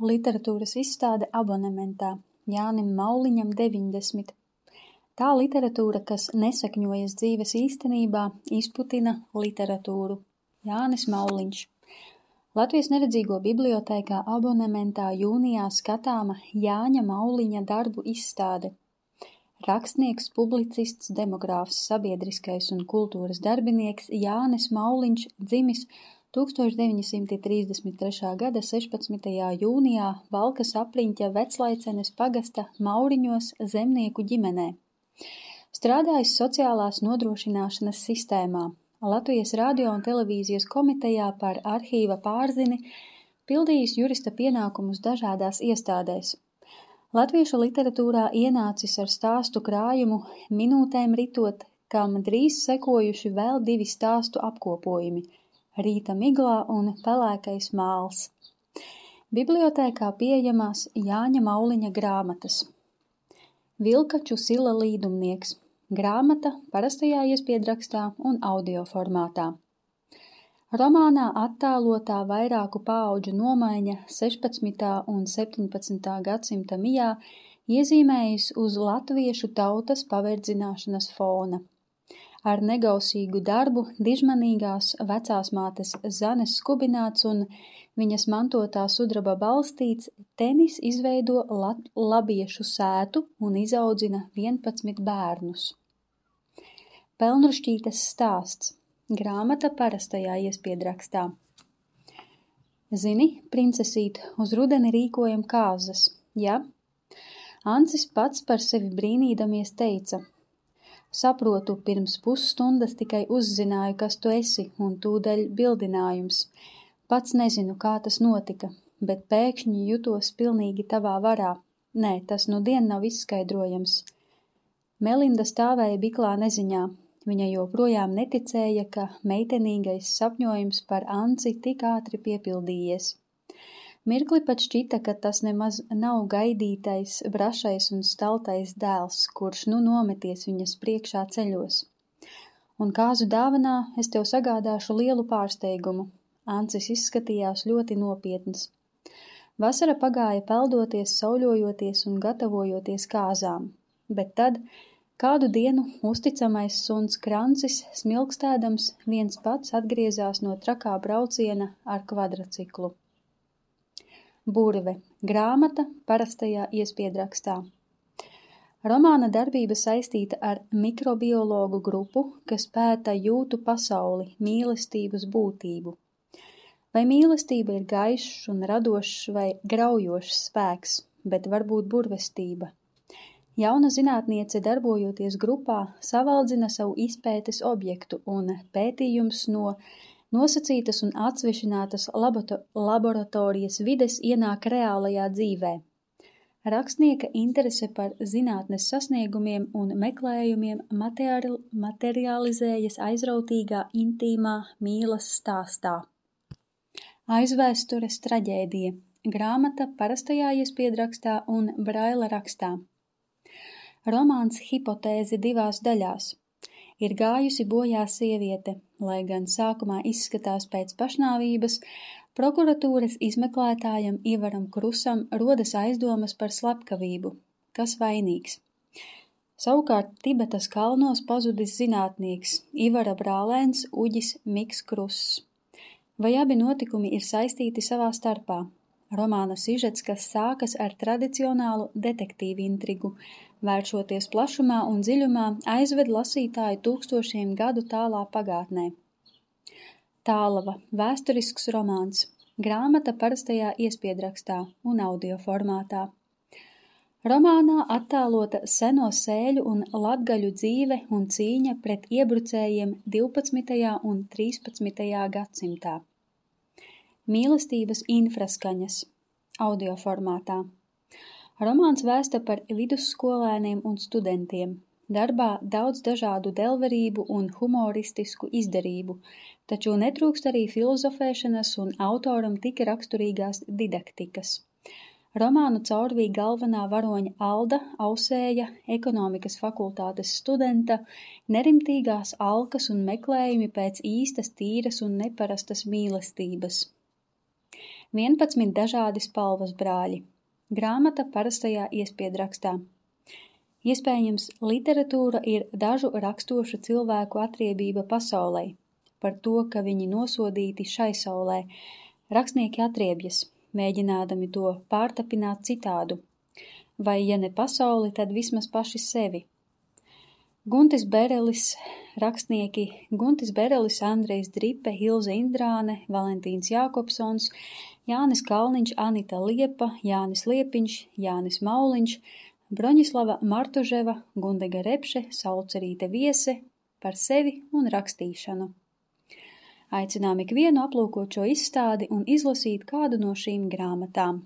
Literatūras izstāde abonementā Jānim Mauliņam 90. Tā literatūra, kas nesakņojas dzīves īstenībā, izputina literatūru. Jānis Mauliņš. Latvijas neredzīgo bibliotēkā abonementā jūnijā skatāma Jāņa Mauliņa darbu izstāde. Rakstnieks, publicists, demogrāfs, sabiedriskais un kultūras darbinieks Jānis Mauliņš dzimis 1933. gada 16. jūnijā Valkas apriņķa Veclaicenes pagasta Mauriņos zemnieku ģimenē. Strādājis sociālās nodrošināšanas sistēmā, Latvijas radio un televīzijas komitejā par arhīva pārzini, pildījis jurista pienākumus dažādās iestādēs. Latviešu literatūrā ienācis ar stāstu krājumu Minūtēm ritot, kam drīz sekojuši vēl 2 stāstu apkopojumi – Rīta miglā un Pelēkais māls. Bibliotēkā pieejamās Jāņa Mauliņa grāmatas. Vilkaču sila līdumnieks. Grāmata parastajā iespiedrakstā un audio formātā. Romānā attēlotā vairāku paauģu nomaiņa 16. un 17. gadsimta mijā iezīmējis uz latviešu tautas paverdzināšanas fona. Ar negausīgu darbu dižmanīgās vecās mātes Zanes skubināts un viņas mantotā sudraba balstīts, Tenis izveido labiešu sētu un izaudzina 11 bērnus. Pelnrušķītes stāsts. Grāmata parastajā iespiedrakstā. Zini, princesīt, uz rudeni rīkojam kāzas, ja? Ancis pats par sevi brīnīdamies teica: Saprotu, pirms pusstundas tikai uzzināju, kas tu esi, un tūdaļ bildinājums. Pats nezinu, kā tas notika, bet pēkšņi jutos pilnīgi tavā varā. Nē, tas nudien nav izskaidrojams. Melinda stāvēja biklā neziņā. Viņa joprojām neticēja, ka meitenīgais sapņojums par Anci tik ātri piepildījies. Mirkli pat šķita, ka tas nemaz nav gaidītais, brašais un staltais dēls, kurš nu nometies viņas priekšā ceļos. Un kāzu dāvanā es tev sagādāšu lielu pārsteigumu. Ancis izskatījās ļoti nopietns. Vasara pagāja peldoties, sauļojoties un gatavojoties kāzām, bet tad kādu dienu uzticamais suns Krancis, smilkstēdams, viens pats atgriezās no trakā brauciena ar kvadraciklu. Burve. Grāmata parastajā iespiedrakstā. Romāna darbība saistīta ar mikrobiologu grupu, kas pēta jūtu pasauli, mīlestības būtību. Vai mīlestība ir gaišs un radošs vai graujošs spēks, bet varbūt burvestība. Jauna zinātniece, darbojoties grupā, savaldzina savu izpētes objektu un pētījums no nosacītas un atsvešinātas laboratorijas vides ienāk reālajā dzīvē. Rakstnieka interese par zinātnes sasniegumiem un meklējumiem materializējas aizrautīgā, intīmā mīlas stāstā. Aizvēstures traģēdija. Grāmata parastajā iespiedrakstā un braila rakstā. Romāns Hipotēze 2 daļās. Ir gājusi bojā sieviete, lai gan sākumā izskatās pēc pašnāvības, prokuratūras izmeklētājam Ivaram Krusam rodas aizdomas par slepkavību. Kas vainīgs? Savukārt Tibetas kalnos pazudis zinātnieks, Ivara brālēns Uģis Miks Kruss. Vai abi notikumi ir saistīti savā starpā? Romāna sižets, kas sākas ar tradicionālu detektīvu intrigu, vēršoties plašumā un dziļumā, aizved lasītāju 1000 gadu tālā pagātnē. Tālava. Vēsturisks romāns. Grāmata parastajā iespiedrakstā un audio formātā. Romānā attēlota seno sēļu un latgaļu dzīve un cīņa pret iebrucējiem 12. un 13. gadsimtā. Mīlestības infraskaņas. Audio formātā. Romāns vēsta par vidusskolēniem un studentiem. Darbā daudz dažādu delverību un humoristisku izdarību, taču netrūkst arī filozofēšanas un autoram tik raksturīgās didaktikas. Romānu caurvīja galvenā varoņa Alda Ausēja, ekonomikas fakultātes studenta, nerimtīgās alkas un meklējumi pēc īstas, tīras un neparastas mīlestības. 11 dažādi spalvas brāļi. Grāmata parastajā iespiedrakstā. Iespējams, literatūra ir dažu rakstošu cilvēku atriebība pasaulei, par to, ka viņi nosodīti šai saulē. Rakstnieki atriebjas, mēģinādami to pārtapināt citādu, vai ja ne pasauli, tad vismaz paši sevi. Guntis Berelis, rakstnieki Guntis Berelis, Andrejs Dripe, Hilze Indrāne, Valentīns Jākopsons, Jānis Kalniņš, Anita Liepa, Jānis Liepiņš, Jānis Mauliņš, Broņislava Martuževa, Gundega Repše, Saulcerīte Viese par sevi un rakstīšanu. Aicinām ikvienu aplūkot šo izstādi un izlasīt kādu no šīm grāmatām.